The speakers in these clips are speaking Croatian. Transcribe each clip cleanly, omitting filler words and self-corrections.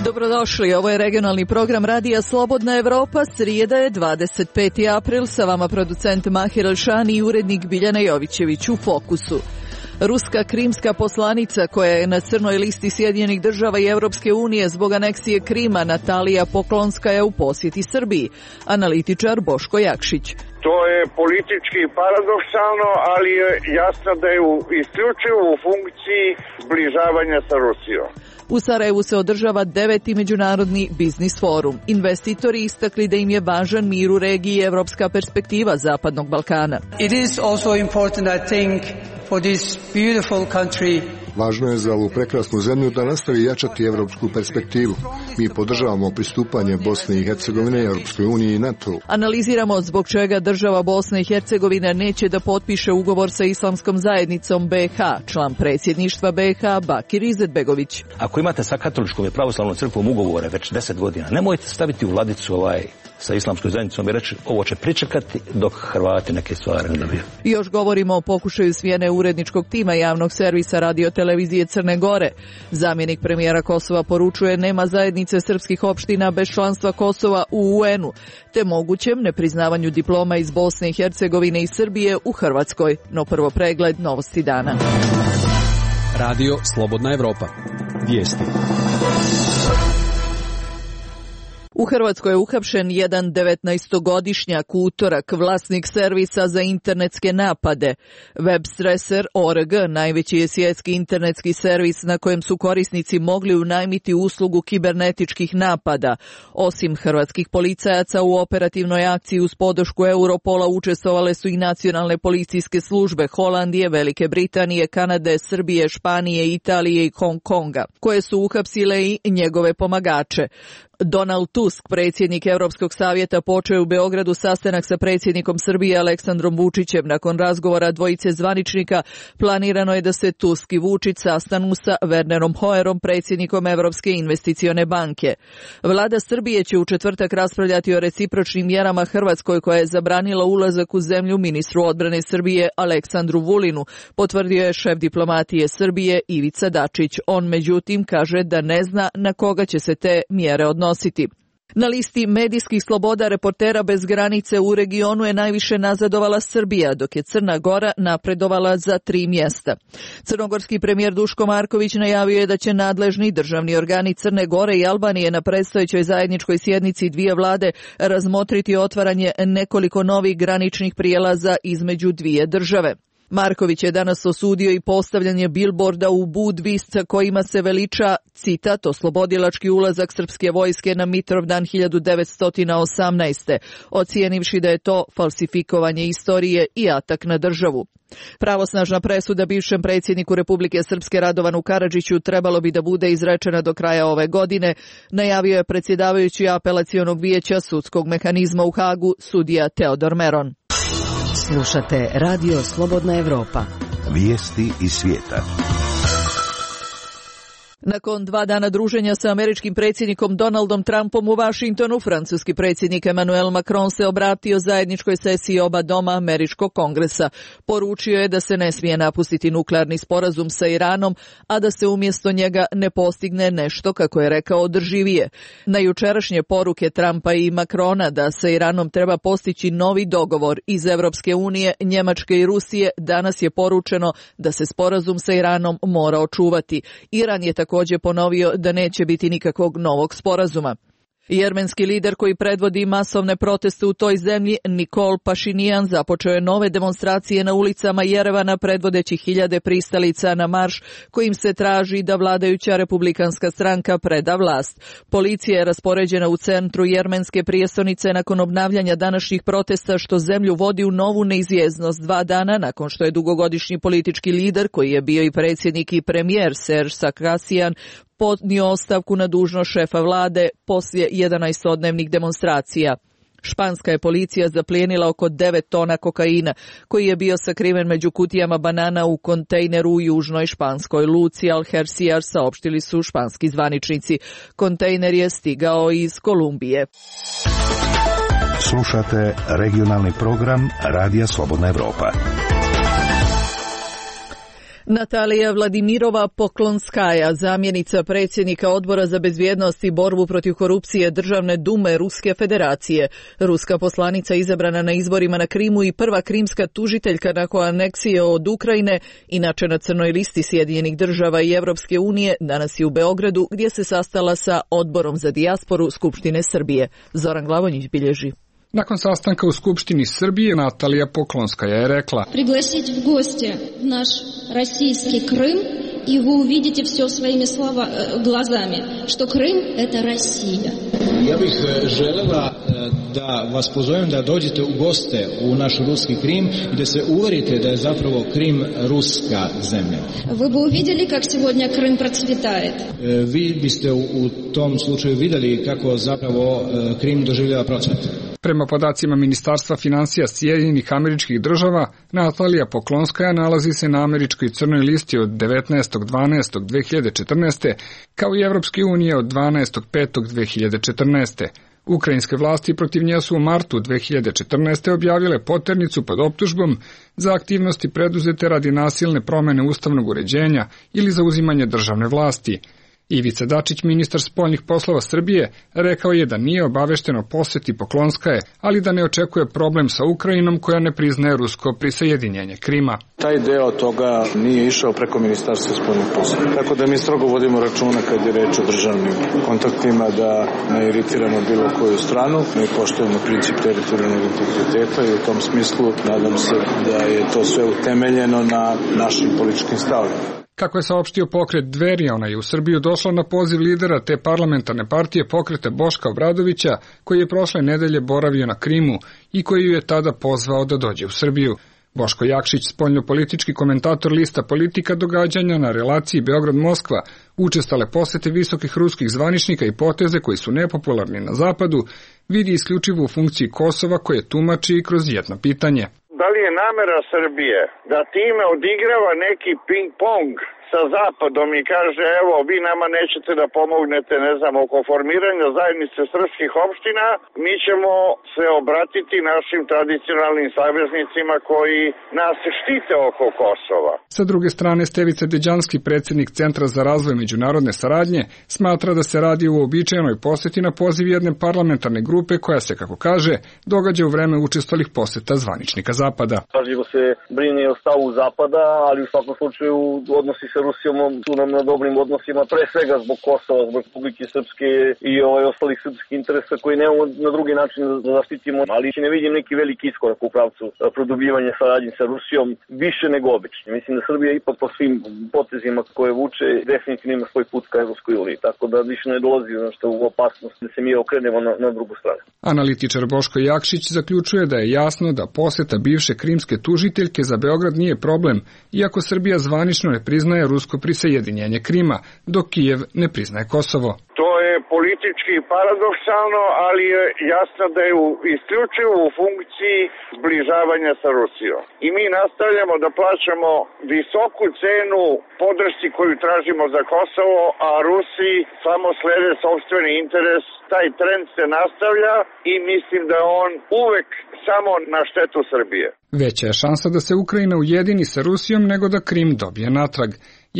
Dobrodošli, ovo je regionalni program Radija Slobodna Evropa, srijeda je 25. april, sa vama producent Mahir Elšani i urednik Biljana Jovićević. U fokusu. Ruska krimska poslanica koja je na crnoj listi Sjedinjenih država i Europske unije zbog aneksije Krima, Natalija Poklonska, je u posjeti Srbiji. Analitičar Boško Jakšić. To je politički paradoksalno, ali je jasno da je isključivo u funkciji zbližavanja sa Rusijom. U Sarajevu se održava 9. međunarodni biznis forum. Investitori istakli da im je važan mir u regiji i evropska perspektiva Zapadnog Balkana. It is also important, I think, for this beautiful country. Važno je za ovu prekrasnu zemlju da nastavi jačati evropsku perspektivu. Mi podržavamo pristupanje Bosne i Hercegovine Europskoj uniji i NATO. Analiziramo zbog čega država Bosne i Hercegovine neće da potpiše ugovor sa Islamskom zajednicom BiH. Član predsjedništva BiH Bakir Izetbegović. Ako imate sa katoličkom i pravoslavnom crkvom ugovore već 10 godina, nemojte staviti u ladicu sa Islamskom zajednicom i reći ovo će pričekati dok Hrvati neke stvari ne dobiju. Još govorimo o pokušaju smjene uredničkog tima javnog servisa radiotelevizije Crne Gore. Zamjenik premijera Kosova poručuje nema zajednice srpskih opština bez članstva Kosova u UN-u, te mogućem nepriznavanju diploma iz Bosne i Hercegovine i Srbije u Hrvatskoj. No prvo pregled novosti dana. Radio Slobodna Evropa. Vijesti. U Hrvatskoj je uhapšen jedan 19-godišnjak, utorak, vlasnik servisa za internetske napade. Webstresser.org najveći je svjetski internetski servis na kojem su korisnici mogli unajmiti uslugu kibernetičkih napada. Osim hrvatskih policajaca u operativnoj akciji uz podršku Europola učestvovale su i nacionalne policijske službe Holandije, Velike Britanije, Kanade, Srbije, Španije, Italije i Hong Konga, koje su uhapsile i njegove pomagače. Donald Tusk, predsjednik Europskog savjeta, počeo je u Beogradu sastanak sa predsjednikom Srbije Aleksandrom Vučićem. Nakon razgovora dvojice zvaničnika planirano je da se Tusk i Vučić sastanu sa Wernerom Hoyerom, predsjednikom Europske investicione banke. Vlada Srbije će u četvrtak raspravljati o recipročnim mjerama Hrvatskoj koja je zabranila ulazak u zemlju ministru odbrane Srbije Aleksandru Vulinu, potvrdio je šef diplomatije Srbije Ivica Dačić. On međutim kaže da ne zna na koga će se te mjere odnositi. Na listi medijskih sloboda Reportera bez granice u regionu je najviše nazadovala Srbija, dok je Crna Gora napredovala za 3 mjesta. Crnogorski premijer Duško Marković najavio je da će nadležni državni organi Crne Gore i Albanije na predstojećoj zajedničkoj sjednici dvije vlade razmotriti otvaranje nekoliko novih graničnih prijelaza između dvije države. Marković je danas osudio i postavljanje bilborda u Budvisca kojima se veliča, citat, oslobodilački ulazak srpske vojske na Mitrovdan 1918. Ocijenivši da je to falsifikovanje istorije i atak na državu. Pravosnažna presuda bivšem predsjedniku Republike Srpske Radovanu Karadžiću trebalo bi da bude izrečena do kraja ove godine, najavio je predsjedavajući apelacionog vijeća sudskog mehanizma u Hagu, sudija Teodor Meron. Slušate Radio Slobodna Evropa. Vijesti iz svijeta. Nakon 2 dana druženja sa američkim predsjednikom Donaldom Trumpom u Vašingtonu, francuski predsjednik Emmanuel Macron se obratio zajedničkoj sesiji oba doma američkog kongresa. Poručio je da se ne smije napustiti nuklearni sporazum sa Iranom, a da se umjesto njega ne postigne nešto, kako je rekao, održivije. Na jučerašnje poruke Trumpa i Macrona da sa Iranom treba postići novi dogovor iz Evropske unije, Njemačke i Rusije, danas je poručeno da se sporazum sa Iranom mora očuvati. Iran je također ponovio da neće biti nikakvog novog sporazuma. Jermenski lider koji predvodi masovne proteste u toj zemlji, Nikol Pašinijan, započeo je nove demonstracije na ulicama Jerevana predvodeći hiljade pristalica na marš kojim se traži da vladajuća republikanska stranka preda vlast. Policija je raspoređena u centru jermenske prijestolnice nakon obnavljanja današnjih protesta što zemlju vodi u novu neizvjesnost 2 dana nakon što je dugogodišnji politički lider koji je bio i predsjednik i premijer Serge Sarkisian podnio ostavku na dužnost šefa vlade poslije 11-dnevnih demonstracija. Španska je policija zaplijenila oko 9 tona kokaina, koji je bio sakriven među kutijama banana u kontejneru u južnoj španskoj luci Algeciras, saopštili su španski zvaničnici. Kontejner je stigao iz Kolumbije. Slušate regionalni program Radija Slobodna Evropa. Natalija Vladimirova Poklonskaja, zamjenica predsjednika Odbora za bezbjednost i borbu protiv korupcije Državne dume Ruske federacije, ruska poslanica izabrana na izborima na Krimu i prva krimska tužiteljka nakon aneksije od Ukrajine, inače na crnoj listi Sjedinjenih država i Europske unije, danas je u Beogradu gdje se sastala sa Odborom za dijasporu Skupštine Srbije. Zoran Glavonjić bilježi. Nakon sastanka u Skupštini Srbije, Natalija Poklonskaja je rekla: Пригласить в гости наш российский Крым, и вы увидите все своими глазами, что Крым – это Россия. Ja bih želela da vas pozovem da dođete u goste u naš ruski Krim i da se uverite da je zapravo Krim ruska zemlja. Вы бы увидели, как сегодня Крым процветает. Vi biste u tom slučaju vidjeli kako zapravo Krim doživljava procvat. Prema podacima Ministarstva financija Sjedinjenih Američkih Država, Natalija Poklonskaja nalazi se na američkoj crnoj listi od 19.12.2014. kao i Evropske unije od 12.5.2014. Ukrajinske vlasti protiv nje su u martu 2014. objavile poternicu pod optužbom za aktivnosti preduzete radi nasilne promjene ustavnog uređenja ili za uzimanje državne vlasti. Ivica Dačić, ministar spoljnih poslova Srbije, rekao je da nije obavešten o posjeti Poklonskaje, ali da ne očekuje problem sa Ukrajinom koja ne priznaje rusko prisajedinjenje Krima. Taj deo toga nije išao preko Ministarstva spoljnih poslova. Tako da mi strogo vodimo računa kad je reč o državnim kontaktima da ne iritiramo bilo koju stranu. Mi poštujemo princip teritorijalnog integriteta i u tom smislu nadam se da je to sve utemeljeno na našim političkim stavovima. Kako je saopštio pokret Dveri, ona je u Srbiju došla na poziv lidera te parlamentarne partije pokreta Boška Obradovića, koji je prošle nedelje boravio na Krimu i koji ju je tada pozvao da dođe u Srbiju. Boško Jakšić, spoljnopolitički komentator lista Politika, događanja na relaciji Beograd-Moskva, učestale posete visokih ruskih zvaničnika i poteze koji su nepopularni na zapadu, vidi isključivo u funkciji Kosova koje tumači i kroz jedno pitanje. Da li je namera Srbije da time odigrava neki ping-pong sa Zapadom i kaže evo vi nama nećete da pomognete oko formiranja zajednice srpskih opština, mi ćemo se obratiti našim tradicionalnim saveznicima koji nas štite oko Kosova. Sa druge strane, Stevica Deđanski, predsjednik Centra za razvoj međunarodne saradnje, smatra da se radi o uobičajenoj posjeti na poziv jedne parlamentarne grupe koja se, kako kaže, događa u vreme učestalih posjeta zvaničnika Zapada. Pažljivo se brine o stavu Zapada, ali u svakom slučaju odnosi sa Rusijom su nam na dobrim odnosima, pre svega zbog Kosova, zbog Republike Srpske i ostalih srpskih interesa koji nemamo na drugi način da zaštitimo, ali ne vidim neki veliki iskorak u pravcu produbljivanja saradnje sa Rusijom, više nego obično. Mislim da Srbija ipak po svim potezima koje vuče definitivno ima svoj put ka Evropskoj uniji, tako da više ne dolazi u opasnost da se mi okrenemo na drugu stranu. Analitičar Boško Jakšić zaključuje da je jasno da poseta bivše krimske tužiteljke za Beograd nije problem, iako Srbija zvanično ne priznaje rusko prisajedinjenje Krima, dok Kijev ne priznaje Kosovo. To je politički paradoksalno, ali je jasno da je isključivo u funkciji zbližavanja sa Rusijom. I mi nastavljamo da plaćamo visoku cenu podršci koju tražimo za Kosovo, a Rusi samo slede sopstveni interes. Taj trend se nastavlja i mislim da je on uvek samo na štetu Srbije. Veća je šansa da se Ukrajina ujedini sa Rusijom nego da Krim dobije natrag.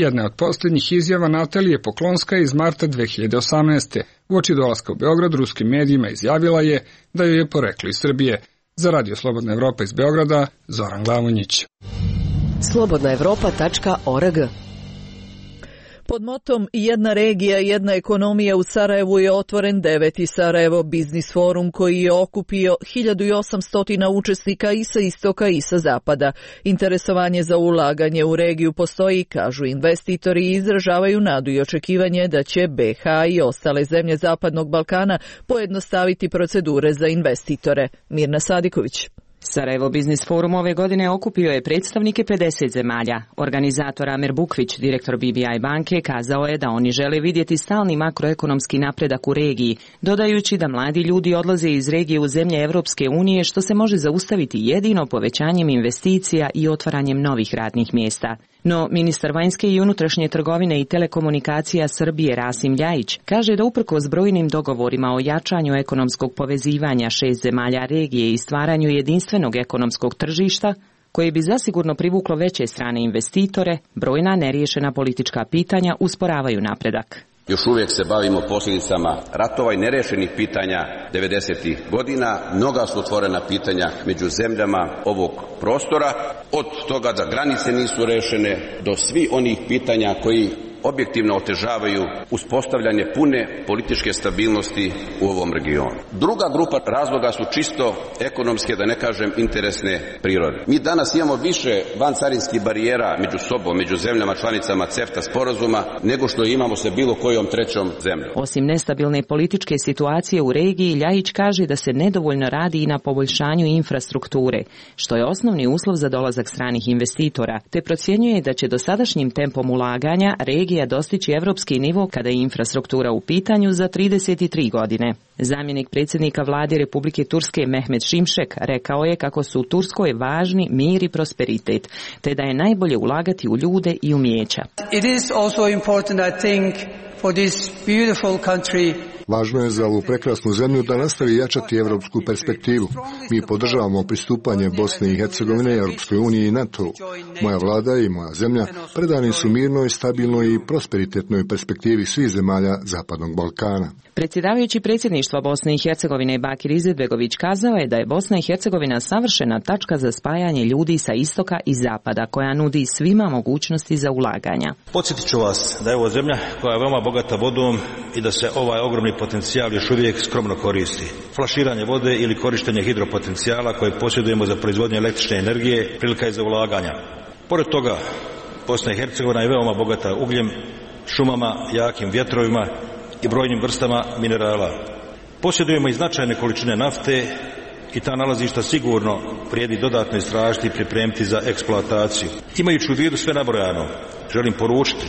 Jedna od posljednjih izjava Natalije Poklonskaje iz marta 2018. Uoči dolaska u Beograd ruskim medijima izjavila je da joj je poreklo iz Srbije. Za Radio Slobodna Evropa iz Beograda, Zoran Glavonjić. slobodnaevropa.org. Pod motom Jedna regija, jedna ekonomija u Sarajevu je otvoren 9. Sarajevo Biznis forum koji je okupio 1800 učesnika i sa istoka i sa zapada. Interesovanje za ulaganje u regiju postoji, kažu investitori, i izražavaju nadu i očekivanje da će BiH i ostale zemlje Zapadnog Balkana pojednostaviti procedure za investitore. Mirna Sadiković. Sarajevo Biznis forum ove godine okupio je predstavnike 50 zemalja. Organizator Amer Bukvić, direktor BBI banke, kazao je da oni žele vidjeti stalni makroekonomski napredak u regiji, dodajući da mladi ljudi odlaze iz regije u zemlje Evropske unije, što se može zaustaviti jedino povećanjem investicija i otvaranjem novih radnih mjesta. No, ministar vanjske i unutrašnje trgovine i telekomunikacija Srbije Rasim Ljajić kaže da uprkos brojnim dogovorima o jačanju ekonomskog povezivanja 6 zemalja regije i stvaranju jedinstvenog ekonomskog tržišta, koje bi zasigurno privuklo veće strane investitore, brojna neriješena politička pitanja usporavaju napredak. Još uvijek se bavimo posljedicama ratova i nerešenih pitanja 90. godina. Mnoga su otvorena pitanja među zemljama ovog prostora, od toga da granice nisu rešene do svih onih pitanja koji objektivno otežavaju uspostavljanje pune političke stabilnosti u ovom regionu. Druga grupa razloga su čisto ekonomske, da ne kažem interesne prirode. Mi danas imamo više vancarinskih barijera među sobom, među zemljama članicama CEFTA sporazuma, nego što imamo sa bilo kojom trećom zemljom. Osim nestabilne političke situacije u regiji, Ljajić kaže da se nedovoljno radi i na poboljšanju infrastrukture, što je osnovni uslov za dolazak stranih investitora, te procjenjuje da će dosadašnjim tempom ulaganja regija dostići evropski nivo kada je infrastruktura u pitanju za 33 godine. Zamjenik predsjednika vlade Republike Turske Mehmet Şimşek rekao je kako su u Turskoj važni mir i prosperitet, te da je najbolje ulagati u ljude i umijeća. It is also important, I think, for this beautiful country. Važno je za ovu prekrasnu zemlju da nastavi jačati evropsku perspektivu. Mi podržavamo pristupanje Bosne i Hercegovine, Europskoj uniji i NATO. Moja vlada i moja zemlja predani su mirnoj, stabilnoj i prosperitetnoj perspektivi svih zemalja Zapadnog Balkana. Predsjedavajući predsjedništva Bosne i Hercegovine Bakir Izetbegović kazao je da je Bosna i Hercegovina savršena tačka za spajanje ljudi sa istoka i zapada, koja nudi svima mogućnosti za ulaganja. Podsjetit ću vas da je ovo zemlja koja je veoma bogata vodom i da se ovaj ogromni potencijal još uvijek skromno koristi. Flaširanje vode ili korištenje hidropotencijala koje posjedujemo za proizvodnju električne energije prilika je za ulaganja. Pored toga, Bosna i Hercegovina je veoma bogata ugljem, šumama, jakim vjetrovima i brojnim vrstama minerala. Posjedujemo i značajne količine nafte i ta nalazišta sigurno vrijedi dodatno istražiti i pripremiti za eksploataciju. Imajući u vidu sve nabrojano, želim poručiti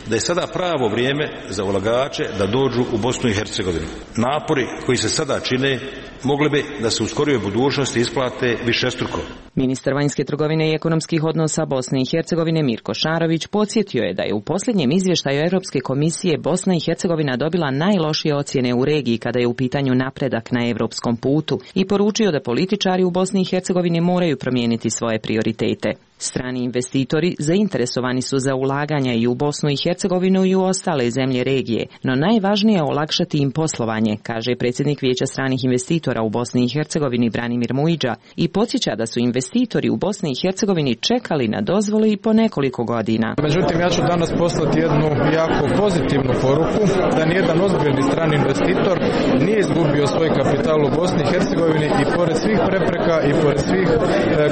da je sada pravo vrijeme za ulagače da dođu u Bosnu i Hercegovinu. Napori koji se sada čine mogli bi da se u skorijoj budućnosti isplate višestruko. Ministar vanjske trgovine i ekonomskih odnosa Bosne i Hercegovine Mirko Šarović podsjetio je da je u posljednjem izvještaju Europske komisije Bosna i Hercegovina dobila najlošije ocjene u regiji kada je u pitanju napredak na europskom putu i poručio da političari u Bosni i Hercegovini moraju promijeniti svoje prioritete. Strani investitori zainteresovani su za ulaganja i u Bosnu i Hercegovinu i u ostale zemlje regije, no najvažnije je olakšati im poslovanje, kaže predsjednik Vijeća stranih investitora u Bosni i Hercegovini Branimir Mujiđa i podsjeća da su investitori u Bosni i Hercegovini čekali na dozvole i po nekoliko godina. Međutim, ja ću danas poslati jednu jako pozitivnu poruku da nijedan ozbiljni strani investitor nije izgubio svoj kapital u Bosni i Hercegovini i pored svih prepreka i pored svih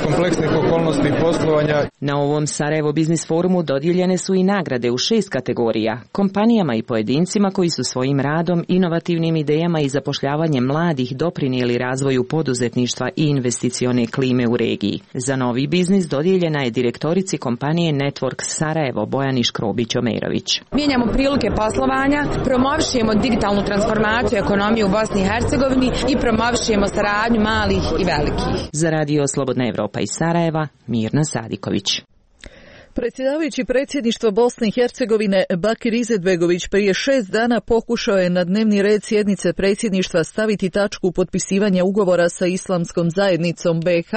kompleksnih okolnosti poslovanja. Na ovom Sarajevo Biznis forumu dodijeljene su i nagrade u 6 kategorija, kompanijama i pojedincima koji su svojim radom, inovativnim idejama i zapošljavanjem mladih doprinijeli razvoju poduzetništva i investicione klime u regiji. Za novi biznis dodijeljena je direktorici kompanije Network Sarajevo Bojani Škrobić-Omerović. Mijenjamo prilike poslovanja, promovišemo digitalnu transformaciju ekonomije u Bosni i Hercegovini i promovišemo saradnju malih i velikih. Za Radio Slobodna Evropa iz Sarajeva, Mirna Sadiković. Predsjedavajući predsjedništva Bosne i Hercegovine Bakir Izetbegović prije 6 dana pokušao je na dnevni red sjednice predsjedništva staviti tačku potpisivanja ugovora sa Islamskom zajednicom BiH,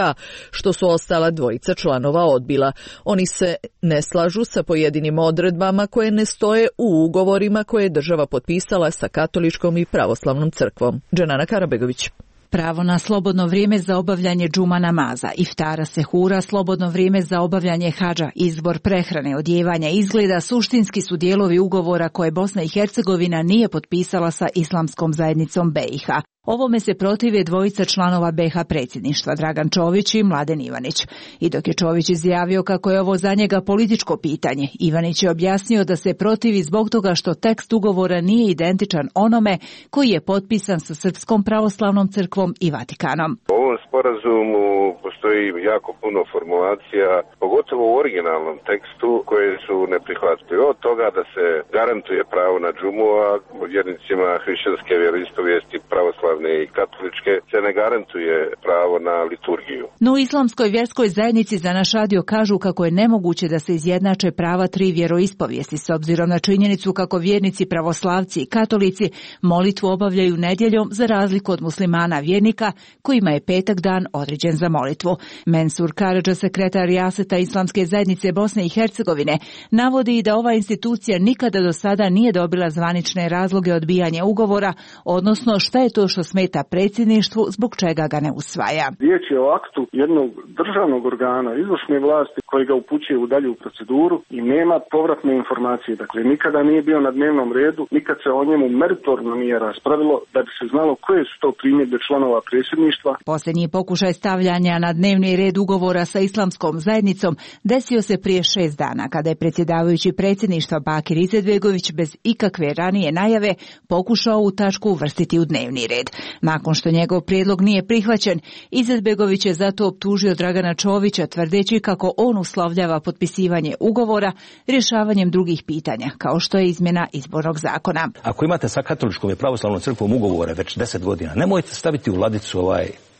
što su ostala dvojica članova odbila. Oni se ne slažu sa pojedinim odredbama koje ne stoje u ugovorima koje je država potpisala sa Katoličkom i Pravoslavnom crkvom. Dženana Karabegović. Pravo na slobodno vrijeme za obavljanje džuma namaza, iftara sehura, slobodno vrijeme za obavljanje hadža, izbor prehrane, odjevanja izgleda suštinski su dijelovi ugovora koje Bosna i Hercegovina nije potpisala sa Islamskom zajednicom BiH. Ovome se protive dvojica članova BiH predsjedništva, Dragan Čović i Mladen Ivanić. I dok je Čović izjavio kako je ovo za njega političko pitanje, Ivanić je objasnio da se protivi zbog toga što tekst ugovora nije identičan onome koji je potpisan sa Srpskom pravoslavnom crkvom i Vatikanom. U ovom sporazumu postoji jako puno formulacija, pogotovo u originalnom tekstu, koje su neprihvatljive. Od toga da se garantuje pravo na džumu, a vjernicima hrišćanske vjeroispovijesti pravoslavne i katoličke se ne garantuje pravo na liturgiju. No u Islamskoj vjerskoj zajednici za naš radio kažu kako je nemoguće da se izjednače prava 3 vjeroispovijesti s obzirom na činjenicu kako vjernici pravoslavci i katolici molitvu obavljaju nedjeljom za razliku od muslimana vjernika kojima je petak dan određen za molitvu. molitvu. Mensur Karadža, sekretar Rijaseta Islamske zajednice Bosne i Hercegovine, navodi da ova institucija nikada do sada nije dobila zvanične razloge odbijanja ugovora, odnosno šta je to što smeta predsjedništvu, zbog čega ga ne usvaja. Riječ je o aktu jednog državnog organa, izvršne vlasti, koji ga upućuje u dalju proceduru i nema povratne informacije. Dakle, nikada nije bio na dnevnom redu, nikad se o njemu meritorno nije raspravilo da bi se znalo koje su to primjedbe članova predsjedništva. Posljednji pokušaj stavljanja na dnevni red ugovora sa Islamskom zajednicom desio se prije 6 dana, kada je predsjedavajući predsjedništva Bakir Izetbegović bez ikakve ranije najave pokušao u tačku uvrstiti u dnevni red. Nakon što njegov prijedlog nije prihvaćen, Izetbegović je zato optužio Dragana Čovića, tvrdeći kako on uslovljava potpisivanje ugovora rješavanjem drugih pitanja, kao što je izmjena izbornog zakona. Ako imate sa katoličkom i pravoslavnom crkvom ugovore već 10 godina, nemojte staviti u ladicu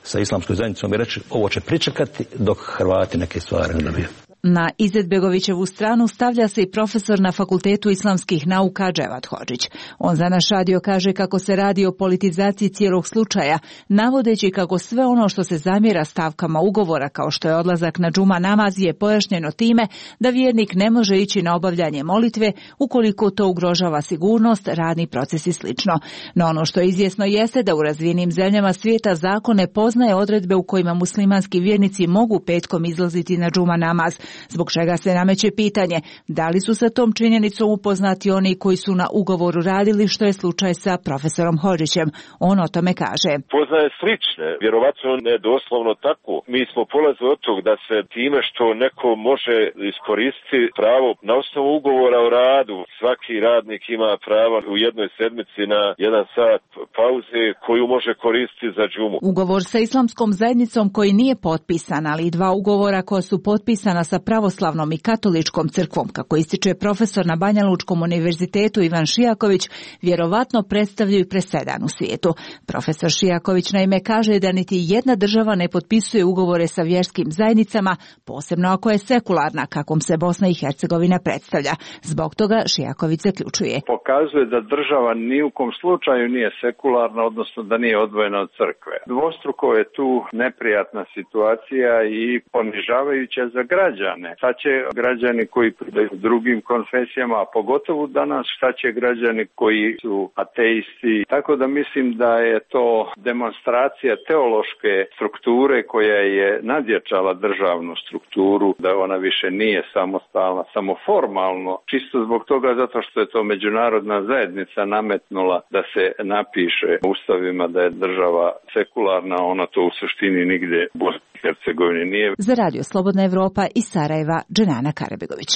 sa Islamskom zajednicom i reći ovo će pričekati dok Hrvati neke stvari ne dobiju. Na Izetbegovićevu stranu stavlja se i profesor na Fakultetu islamskih nauka Dževat Hodžić. On za naš radio kaže kako se radi o politizaciji cijelog slučaja, navodeći kako sve ono što se zamjera stavkama ugovora, kao što je odlazak na džuma namaz, je pojašnjeno time da vjernik ne može ići na obavljanje molitve ukoliko to ugrožava sigurnost, radni proces i slično. No ono što je izvjesno jeste da u razvijenim zemljama svijeta zakon ne poznaje odredbe u kojima muslimanski vjernici mogu petkom izlaziti na džuma namaz, zbog čega se nameće pitanje da li su sa tom činjenicom upoznati oni koji su na ugovoru radili, što je slučaj sa profesorom Hodžićem. On o tome kaže. Poznaje slične, vjerovatno ne doslovno tako. Mi smo polazili od tog da se time što neko može iskoristiti pravo na osnovu ugovora o radu, svaki radnik ima pravo u jednoj sedmici na 1 sat pauze koju može koristiti za džumu. Ugovor sa Islamskom zajednicom koji nije potpisan, ali i 2 ugovora koja su potpisana sa pravoslavnom i katoličkom crkvom, kako ističe profesor na Banja Lučkom univerzitetu Ivan Šijaković, vjerovatno predstavljaju presedan u svijetu. Profesor Šijaković naime kaže da niti jedna država ne potpisuje ugovore sa vjerskim zajednicama, posebno ako je sekularna, kakvom se Bosna i Hercegovina predstavlja. Zbog toga Šijaković zaključuje. Pokazuje da država ni u kom slučaju nije sekularna, odnosno da nije odvojena od crkve. Dvostruko je tu neprijatna situacija i ponižavajuća za građane. Šta će građani koji pripadaju drugim konfesijama, a pogotovo danas šta će građani koji su ateisti. Tako da mislim da je to demonstracija teološke strukture koja je nadjačala državnu strukturu, da ona više nije samostalna, samo formalno, čisto zbog toga zato što je to međunarodna zajednica nametnula da se napiše u ustavima da je država sekularna, ona to u suštini nigdje u Bosni i Hercegovini nije. Za Radio Slobodna Evropa iz Sarajeva, Dženana Karabegović.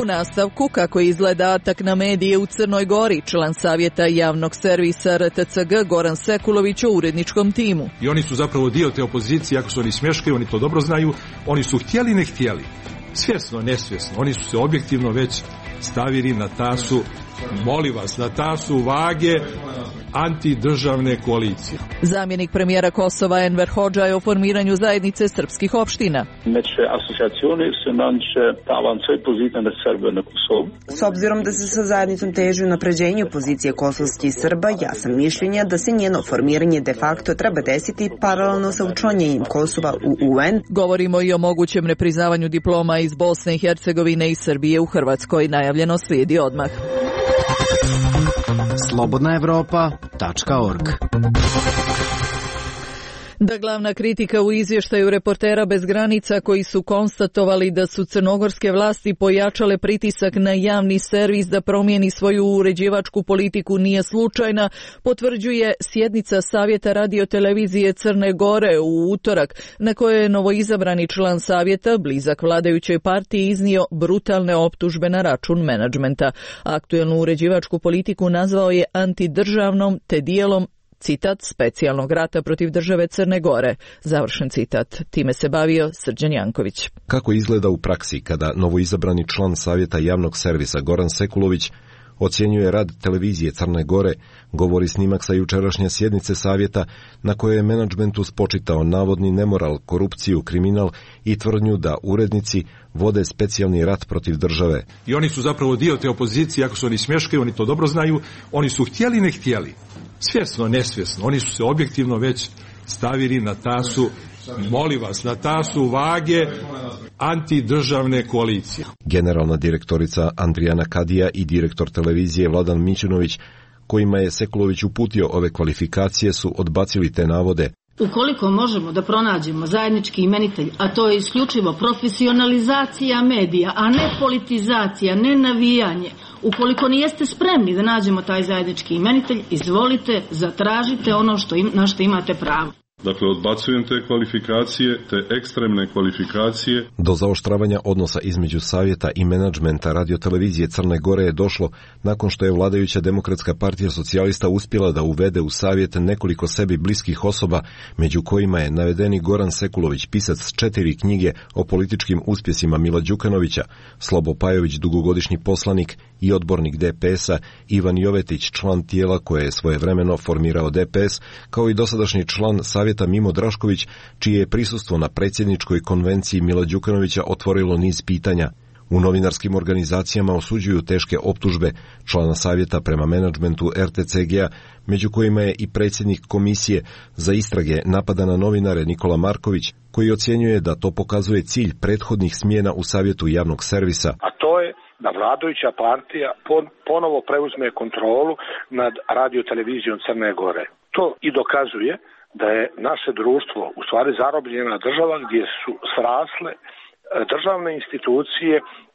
U nastavku, kako izgleda atak na medije u Crnoj Gori, član savjeta javnog servisa RTCG Goran Sekulović o uredničkom timu. I oni su zapravo dio te opozicije, ako su oni smješkaju, oni to dobro znaju, oni su htjeli ne htjeli, svjesno, nesvjesno, oni su se objektivno već stavili na tasu, molim vas, na tasu vage antidržavne koalicije. Zamjenik premijera Kosova Enver Hodža je o formiranju zajednice srpskih opština. S obzirom da se sa zajednicom teži unapređenju pozicije kosovskih Srba, ja sam mišljenja da se njeno formiranje de facto treba desiti paralelno sa učlanjenjem Kosova u UN. Govorimo i o mogućem nepriznavanju diploma iz Bosne i Hercegovine i Srbije u Hrvatskoj. Najavljeno slijedi odmah. slobodnaevropa.org. Da glavna kritika u izvještaju Reportera bez granica, koji su konstatovali da su crnogorske vlasti pojačale pritisak na javni servis da promijeni svoju uređivačku politiku, nije slučajna, potvrđuje sjednica Savjeta radiotelevizije Crne Gore u utorak, na kojoj je novoizabrani član savjeta, blizak vladajućoj partiji, iznio brutalne optužbe na račun menadžmenta. Aktuelnu uređivačku politiku nazvao je antidržavnom te dijelom, citat, specijalnog rata protiv države Crne Gore. Završen citat. Time se bavio Srđan Janković. Kako izgleda u praksi kada novoizabrani član savjeta javnog servisa Goran Sekulović ocjenjuje rad televizije Crne Gore, govori snimak sa jučerašnje sjednice savjeta na kojoj je menadžmentu spočitao navodni nemoral, korupciju, kriminal i tvrdnju da urednici vode specijalni rat protiv države. I oni su zapravo dio te opozicije, ako su oni smješkaju, oni to dobro znaju, oni su htjeli ne htjeli, svjesno, nesvjesno, oni su se objektivno već stavili na tasu, molim vas, na tasu vage antidržavne koalicije. Generalna direktorica Andrijana Kadija i direktor televizije Vladan Mićunović, kojima je Sekulović uputio ove kvalifikacije, su odbacili te navode. Ukoliko možemo da pronađemo zajednički imenitelj, a to je isključivo profesionalizacija medija, a ne politizacija, ne navijanje, ukoliko nijeste spremni da nađemo taj zajednički imenitelj, izvolite, zatražite ono na što imate pravo. Dakle, odbacujem te kvalifikacije, te ekstremne kvalifikacije. Do zaoštravanja odnosa između savjeta i menadžmenta radiotelevizije Crne Gore je došlo nakon što je vladajuća Demokratska partija socijalista uspjela da uvede u savjet nekoliko sebi bliskih osoba, među kojima je navedeni Goran Sekulović, pisac 4 knjige o političkim uspjesima Mila Đukanovića, Slobo Pajović, dugogodišnji poslanik i odbornik DPS-a, Ivan Jovetić, član tijela koje je svojevremeno formirao DPS, kao i dosadašnji član savjeta Mimo Drašković, čije je prisustvo na predsjedničkoj konvenciji Mila Đukanovića otvorilo niz pitanja. U novinarskim organizacijama osuđuju teške optužbe člana savjeta prema menadžmentu RTCG-a, među kojima je i predsjednik komisije za istrage napada na novinare Nikola Marković, koji ocjenjuje da to pokazuje cilj prethodnih smjena u savjetu javnog servisa. A to je da vladajuća partija ponovo preuzme kontrolu nad radiotelevizijom Crne Gore. To i dokazuje da je naše društvo u stvari zarobljena država gdje su srasle državne institucije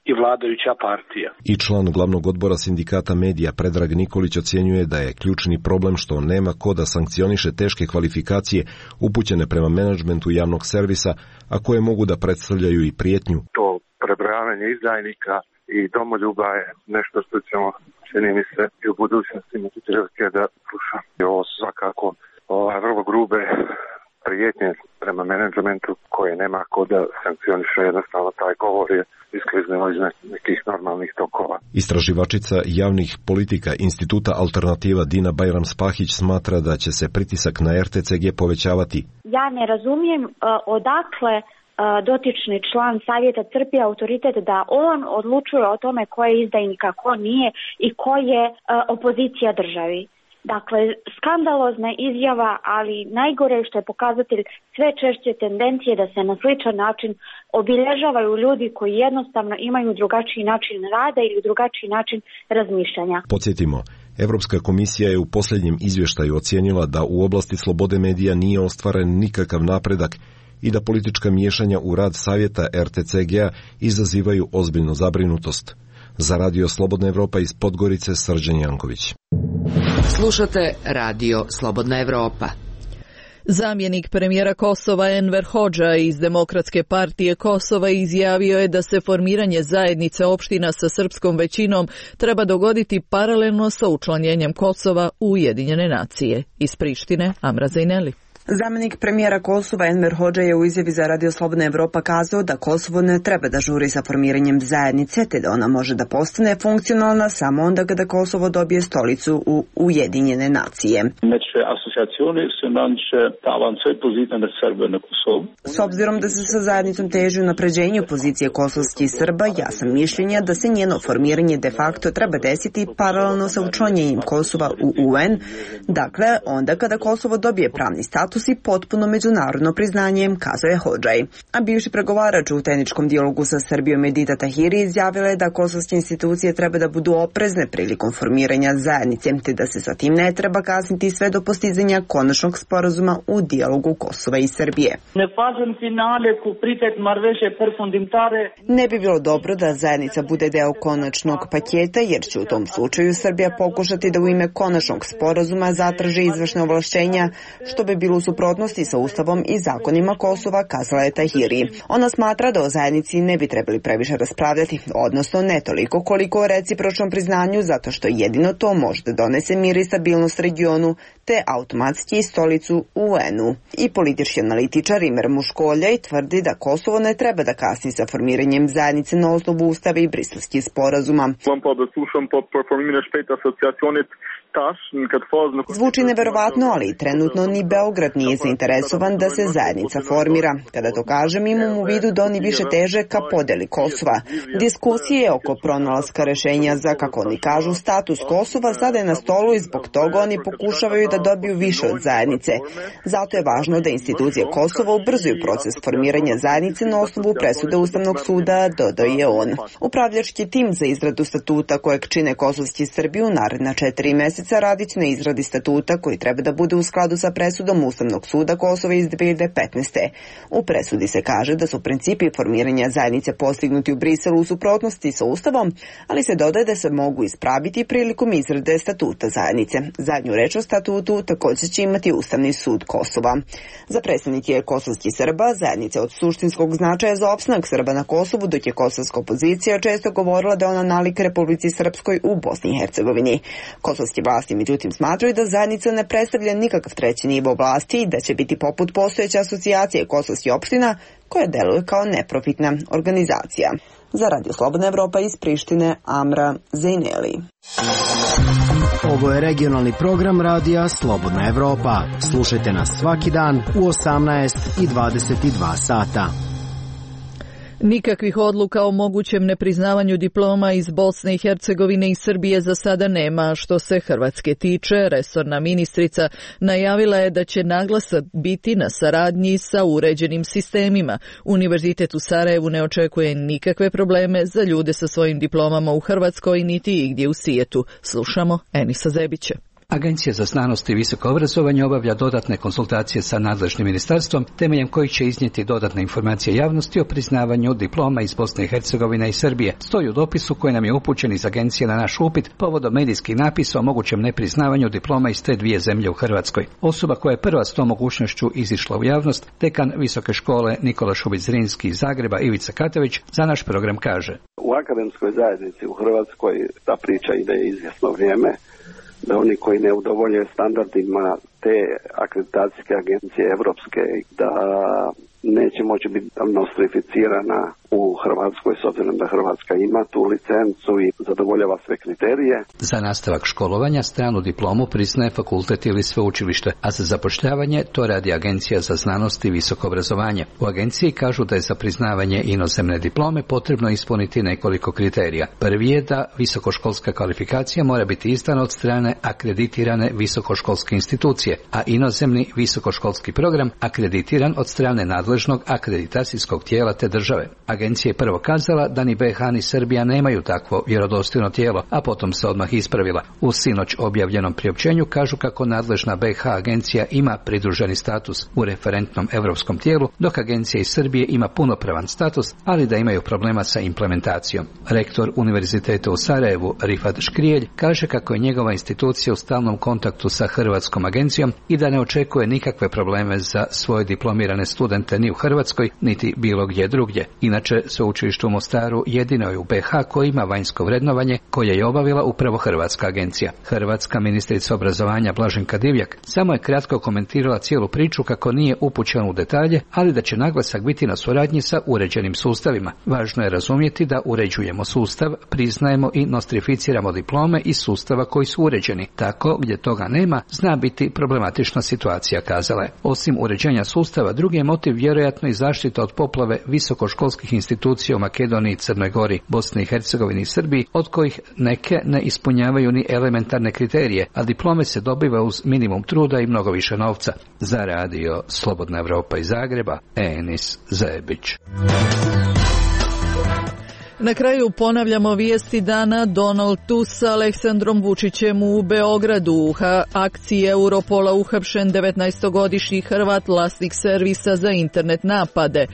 i vladajuća partija. I član glavnog odbora sindikata medija Predrag Nikolić ocjenjuje da je ključni problem što nema ko da sankcioniše teške kvalifikacije upućene prema menadžmentu javnog servisa, a koje mogu da predstavljaju i prijetnju. To prebrojavanje izdajnika i domoljuba je nešto što ćemo, čini mi se, i u budućnosti imati prilike da slušamo. Ovo su svakako vrlo grube prijetnje prema menadžmentu koje nema ko da sankcioniše, jednostavno taj govor je iskliznilo iz nekih normalnih tokova. Istraživačica javnih politika Instituta Alternativa Dina Bajram-Spahić smatra da će se pritisak na RTCG povećavati. Ja ne razumijem odakle dotični član savjeta crpi autoritet da on odlučuje o tome ko je izdajnik, a ko nije i ko je opozicija državi. Dakle, skandalozna izjava, ali najgore što je pokazatelj sve češće tendencije da se na sličan način obilježavaju ljudi koji jednostavno imaju drugačiji način rada ili drugačiji način razmišljanja. Podsjetimo, Europska komisija je u posljednjem izvještaju ocijenila da u oblasti slobode medija nije ostvaren nikakav napredak i da politička miješanja u rad savjeta RTCG-a izazivaju ozbiljnu zabrinutost. Za Radio Slobodna Evropa iz Podgorice, Srđan Janković. Slušate Radio Slobodna Evropa. Zamjenik premijera Kosova Enver Hodža iz Demokratske partije Kosova izjavio je da se formiranje zajednice opština sa srpskom većinom treba dogoditi paralelno sa učlanjenjem Kosova u Ujedinjene nacije. Iz Prištine, Amra Zajneli. Zamjenik premijera Kosova Enver Hodža je u izjavi za Radio Slobodna Evropa kazao da Kosovo ne treba da žuri sa formiranjem zajednice, te da ona može da postane funkcionalna samo onda kada Kosovo dobije stolicu u Ujedinjene nacije. S obzirom da se sa zajednicom teži unapređenju pozicije kosovskih Srba, ja sam mišljenja da se njeno formiranje de facto treba desiti paralelno sa učlanjenjem Kosova u UN, dakle onda kada Kosovo dobije pravni status i potpuno međunarodno priznanje, kazao je Hodžaj. A bivši pregovarač u tehničkom dijalogu sa Srbijom Edita Tahiri izjavila je da kosovske institucije treba da budu oprezne prilikom formiranja zajednice, te da se sa tim ne treba kasniti sve do postizanja konačnog sporazuma u dijalogu Kosova i Srbije. Ne bi bilo dobro da zajednica bude deo konačnog paketa, jer će u tom slučaju Srbija pokušati da u ime konačnog sporazuma zatraži izvršne ovlašćenja, što bi bilo u suprotnosti sa Ustavom i zakonima Kosova, kazala je Tahiri. Ona smatra da o zajednici ne bi trebali previše raspravljati, odnosno ne toliko koliko o recipročnom priznanju, zato što jedino to može da donese mir i stabilnost regionu, te automatski stolicu u UN-u. I politički analitičar Imer Muškoljaj tvrdi da Kosovo ne treba da kasni sa formiranjem zajednice na osnovu Ustava i Briselskih sporazuma. Zvuči neverovatno, ali trenutno ni Beograd nije zainteresovan da se zajednica formira. Kada to kažem, imam u vidu da oni više teže ka podeli Kosova. Diskusije oko pronalaska rešenja za, kako oni kažu, status Kosova sada je na stolu i zbog toga oni pokušavaju da dobiju više od zajednice. Zato je važno da institucije Kosova ubrzuju proces formiranja zajednice na osnovu presude Ustavnog suda, dodao je on. Upravljački tim za izradu statuta kojeg čine kosovski Srbi u naredna 4 meseca radit na izradi statuta koji treba da bude u skladu sa presudom Ustavnog suda Kosova iz 2015. U presudi se kaže da su principi formiranja zajednice postignuti u Briselu u suprotnosti sa Ustavom, ali se dodaje da se mogu ispraviti prilikom izrade statuta zajednice. Zadnju reč o statutu također će imati Ustavni sud Kosova. Za predstavnike kosovskih Srba zajednica od suštinskog značaja za opstanak Srba na Kosovu, dok je kosovska opozicija često govorila da ona nalik Republici Srpskoj u Bosni i Hercegovini. Kosovske vlasti međutim smatraju da zajednica ne predstavlja nikakav treći nivo vlasti i da će biti poput postojeće asocijacije kosovskih opština koja deluje kao neprofitna organizacija. Za Radio Slobodna Evropa iz Prištine, Amra Zejneli. Ovo je regionalni program Radija Slobodna Evropa. Slušajte nas svaki dan u 18 i 22 sata. Nikakvih odluka o mogućem nepriznavanju diploma iz Bosne i Hercegovine i Srbije za sada nema. Što se Hrvatske tiče, resorna ministrica najavila je da će naglasak biti na saradnji sa uređenim sistemima. Univerzitet u Sarajevu ne očekuje nikakve probleme za ljude sa svojim diplomama u Hrvatskoj niti igdje u svijetu. Slušamo Enisa Zebića. Agencija za znanost i visoko obrazovanje obavlja dodatne konsultacije sa nadležnim ministarstvom, temeljem kojih će iznijeti dodatne informacije javnosti o priznavanju diploma iz Bosne i Hercegovine i Srbije. Stoji u dopisu koji nam je upućen iz agencije na naš upit povodom medijskih napisa o mogućem nepriznavanju diploma iz te dvije zemlje u Hrvatskoj. Osoba koja je prva s tom mogućnošću izišla u javnost, dekan Visoke škole Nikola Šubić-Zrinski iz Zagreba Ivica Katović, za naš program kaže: U akademskoj zajednici u Hrvatskoj ta priča ide izvjesno vrijeme, da oni koji ne udovoljaju standardima te akreditacijske agencije evropske, da neće moći biti nostrificirana u Hrvatskoj, s obzirom da Hrvatska ima tu licencu i zadovoljava sve kriterije. Za nastavak školovanja stranu diplomu priznaje fakultet ili sveučilište, a za zapošljavanje to radi Agencija za znanost i visoko obrazovanje. U agenciji kažu da je za priznavanje inozemne diplome potrebno ispuniti nekoliko kriterija. Prvi je da visokoškolska kvalifikacija mora biti izdana od strane akreditirane visokoškolske institucije, a inozemni visokoškolski program akreditiran od strane nadležnog akreditacijskog tijela te države. Agencija je prvo kazala da ni BiH ni Srbija nemaju takvo vjerodostojno tijelo, a potom se odmah ispravila. U sinoć objavljenom priopćenju kažu kako nadležna BiH agencija ima pridruženi status u referentnom europskom tijelu, dok agencija iz Srbije ima punopravan status, ali da imaju problema sa implementacijom. Rektor Univerziteta u Sarajevu, Rifat Škrijelj, kaže kako je njegova institucija u stalnom kontaktu sa Hrvatskom agencijom i da ne očekuje nikakve probleme za svoje diplomirane studente ni u Hrvatskoj, niti bilo gdje drugdje. Inače, sveučilište u Mostaru jedino je u BiH koje ima vanjsko vrednovanje koje je obavila upravo Hrvatska agencija. Hrvatska ministrica obrazovanja Blaženka Divjak samo je kratko komentirala cijelu priču kako nije upućena u detalje, ali da će naglasak biti na suradnji sa uređenim sustavima. Važno je razumjeti da uređujemo sustav, priznajemo i nostrificiramo diplome iz sustava koji su uređeni. Tako, gdje toga nema, zna biti problematična situacija, kazala je. Osim uređenja sustava, drugi je motiv vjerojatno i zaštita od poplave visokoškolskih institucija u Makedoniji, Crnoj Gori, Bosni i Hercegovini i Srbiji, od kojih neke ne ispunjavaju ni elementarne kriterije, a diplome se dobiva uz minimum truda i mnogo više novca. Za Radio Slobodna Evropa iz Zagreba, Enis Zebić. Na kraju ponavljamo vijesti dana. Donald Tusk sa Aleksandrom Vučićem u Beogradu. U akciji Europola uhapšen 19-godišnji Hrvat, vlasnik servisa za internet napade.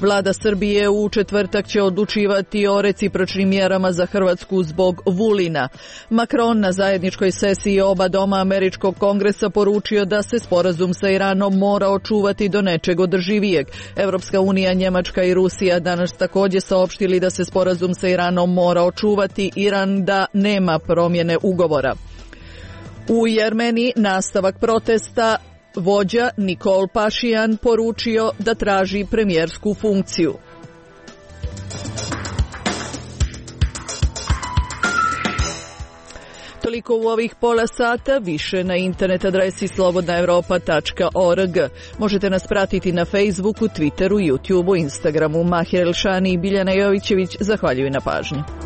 Vlada Srbije u četvrtak će odlučivati o recipročnim mjerama za Hrvatsku zbog Vulina. Macron na zajedničkoj sesiji oba doma američkog kongresa poručio da se sporazum sa Iranom mora očuvati do nečeg održivijeg. Evropska unija, Njemačka i Rusija danas također saopštili da se sporazum sa Iranom mora očuvati. Iran da nema promjene ugovora. U Jermeniji nastavak protesta. Vođa Nikol Pašijan poručio da traži premijersku funkciju. Toliko u ovih pola sata, više na internet adresi slobodnaevropa.org. Možete nas pratiti na Facebooku, Twitteru, YouTubeu, Instagramu. Mahir Elšani i Biljana Jovićević zahvaljuju na pažnji.